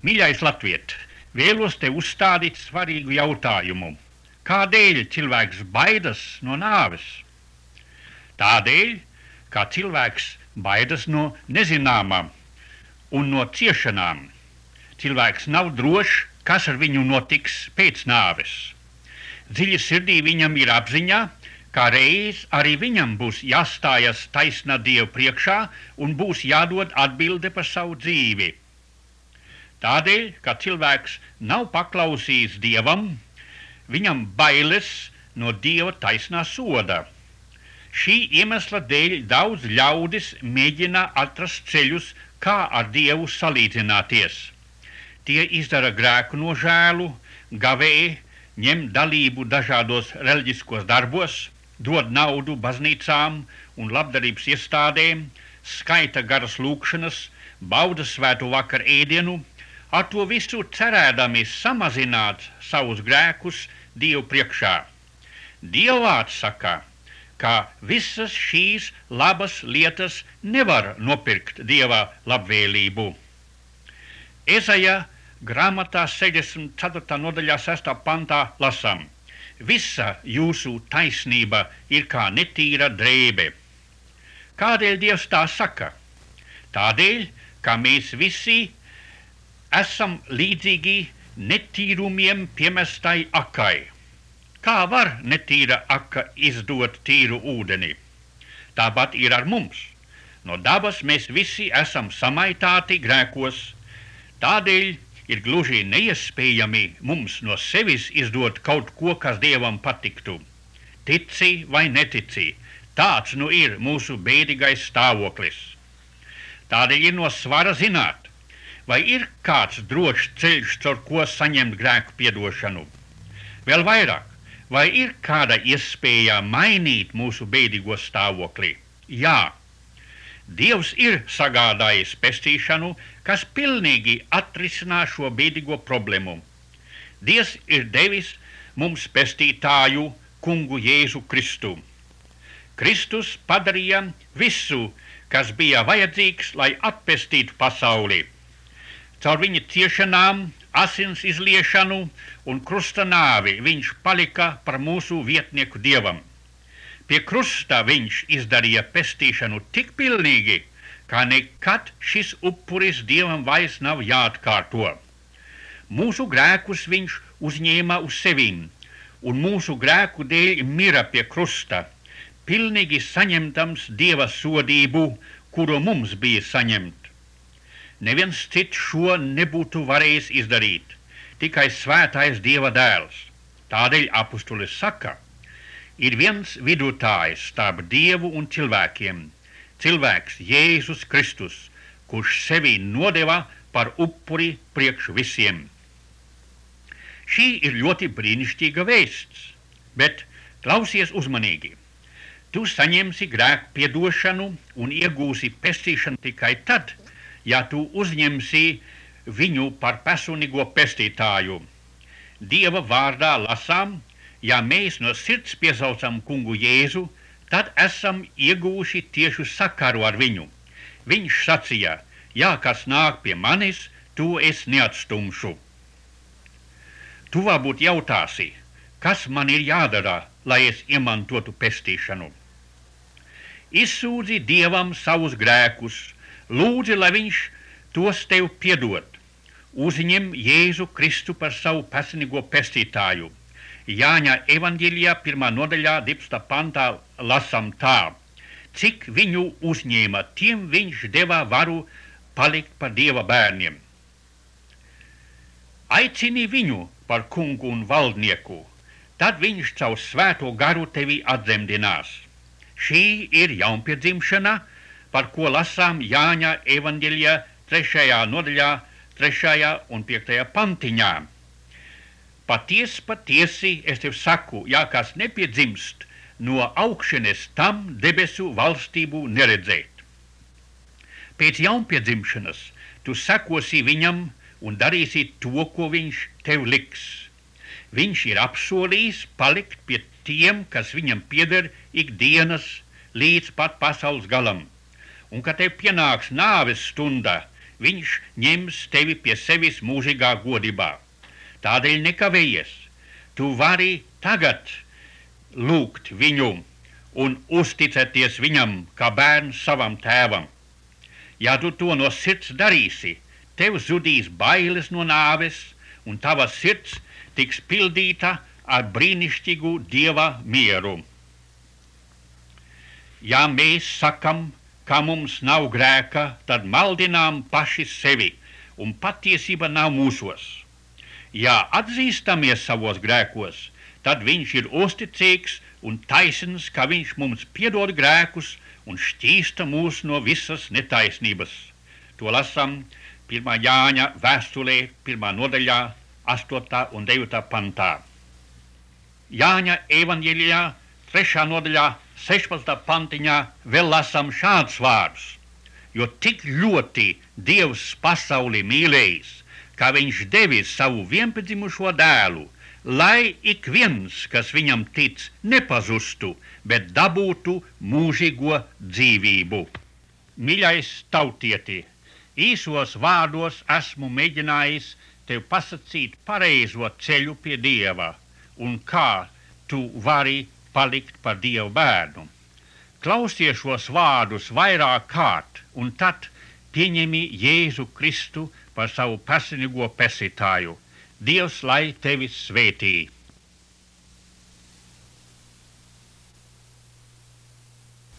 Mīļais Latviet, vēlos te uzstādīt svarīgu jautājumu. Kādēļ cilvēks baidas no nāves? Tādēļ, ka cilvēks baidas no nezināmā un no ciešanām. Cilvēks nav drošs, kas ar viņu notiks pēc nāves. Dziļi sirdī viņam ir apziņā, ka reiz arī viņam būs jāstājas taisnā Dieva priekšā un būs jādod atbilde par savu dzīvi. Tādēļ, ka cilvēks nav paklausījis Dievam, viņam bailes no Dieva taisnā soda. Šī iemesla dēļ daudz ļaudis mēģina atrast ceļus, kā ar Dievu salīdzināties. Tie izdara grēku nožēlu, gavē, ņem dalību dažādos reliģiskos darbos, dod naudu baznīcām un labdarības iestādēm, skaita garas lūkšanas, bauda svētu vakar ēdienu, ar to visu cerēdami samazināt savus grēkus Dievu priekšā. Dieva vārds saka, ka visas šīs labas lietas nevar nopirkt Dieva labvēlību. Ezaja grāmatā 64. nodaļā 6. pantā lasām: Visa jūsu taisnība ir kā netīra drēbe. Kādēļ Dievs tā saka? Tādēļ, ka mēs visi esam līdzīgi netīrumiem piemestai akai. Kā var netīra aka izdot tīru ūdeni? Tāpat ir ar mums. No dabas mēs visi esam samaitāti grēkos. Tādēļ ir gluži neiespējami mums no sevis izdot kaut ko, kas Dievam patiktu. Tici vai netici, tāds nu ir mūsu bēdīgais stāvoklis. Tādēļ ir no svara zināt, vai ir kāds drošs ceļš, caur ko saņemt grēku piedošanu. Vēl vairāk, vai ir kāda iespēja mainīt mūsu bēdīgo stāvokli? Jā. Dievs ir sagādājis pestīšanu, kas pilnīgi atrisinās šo bēdīgo problēmu. Dievs ir devis mums pestītāju, kungu Jēzu Kristu. Kristus padarīja visu, kas bija vajadzīgs, lai atpestītu pasauli. Caur viņa ciešanām, asins izliešanu un krusta nāvi viņš palika par mūsu vietnieku Dievam. Pie krusta viņš izdarīja pestīšanu tik pilnīgi, ka nekad šis upuris Dievam vairs nav jāatkārto. Mūsu grēkus viņš uzņēma uz sevīm, un mūsu grēku dēļ mira pie krusta, pilnīgi saņemtams Dieva sodību, kuru mums bija saņemt. Neviens cits šo nebūtu varējis izdarīt, tikai svētais Dieva dēls. Tādēļ apustulis saka, ir viens vidutājs starp Dievu un cilvēkiem, cilvēks Jēzus Kristus, kurš sevi nodeva par upuri priekš visiem. Šī ir ļoti brīnišķīga vēsts, bet klausies uzmanīgi. Tu saņemsi grēku piedošanu un iegūsi pestīšanu tikai tad, ja tu uzņemsi viņu par personīgo pestītāju. Dieva vārdā lasām, ja mēs no sirds piesaucam kungu Jēzu, tad esam ieguvuši tiešu sakaru ar viņu. Viņš sacīja, ja kas nāk pie manis, to es neatstumšu. Tu varbūt jautāsi, kas man ir jādara, lai es iemantotu pestīšanu. Izsūdzi Dievam savus grēkus, lūdzi, lai viņš tos tev piedod. Uzņem Jēzu Kristu par savu personīgo pestītāju. Jāņa evaņģēlijā 1. nodaļā 12. pantā lasam tā: Cik viņu uzņēma, tiem viņš deva varu palikt par Dieva bērniem. Aicini viņu par kungu un valdnieku, tad viņš caur svēto garu tevi atdzemdinās. Šī ir jaunpiedzimšana, par ko lasām Jāņa evaņģēlijā 3. nodaļā 3. un 5. pantiņā. Patiesi, es tev saku, ja kas nepiedzimst no augšienes, tam debesu valstību neredzēt. Pēc jaunpiedzimšanas tu sekosi viņam un darīsi to, ko viņš tev liks. Viņš ir apsolījis palikt pie tiem, kas viņam pieder ikdienas līdz pat pasaules galam. Un, kad tev pienāks nāves stunda, viņš ņems tevi pie sevis mūžīgā godībā. Tādēļ nekavējies. Tu vari tagad lūgt viņu un uzticēties viņam kā bērns savam tēvam. Ja tu to no sirds darīsi, tev zudīs bailes no nāves, un tava sirds tiks pildīta ar brīnišķīgu Dieva mieru. Ja mēs sakam, ka mums nav grēka, tad maldinām paši sevi, un patiesība nav mūsos. Ja atzīstamies savos grēkos, tad viņš ir uzticīgs un taisns, ka viņš mums piedod grēkus un šķīsta mūs no visas netaisnības. To lasam 1. Jāņa vēstulē, 1. nodaļā, 8. un 9. pantā. Jāņa evaņģēlijā, 3. nodaļā, 16. pantiņā vēl lasam šādus vārdus. Jo tik ļoti Dievs pasauli mīlējis, ka viņš devis savu vienpiedzimušo dēlu, lai ik viens, kas viņam tic, nepazustu, bet dabūtu mūžīgo dzīvību. Mīļais tautieti, īsos vārdos esmu mēģinājis tev pasacīt pareizo ceļu pie Dieva un kā tu vari palikt par Dievu bērnu. Klausies šos vārdus vairāk kārt un tad pieņemi Jēzu Kristu par savu personīgo pesītāju. Dievs lai tevi svētī!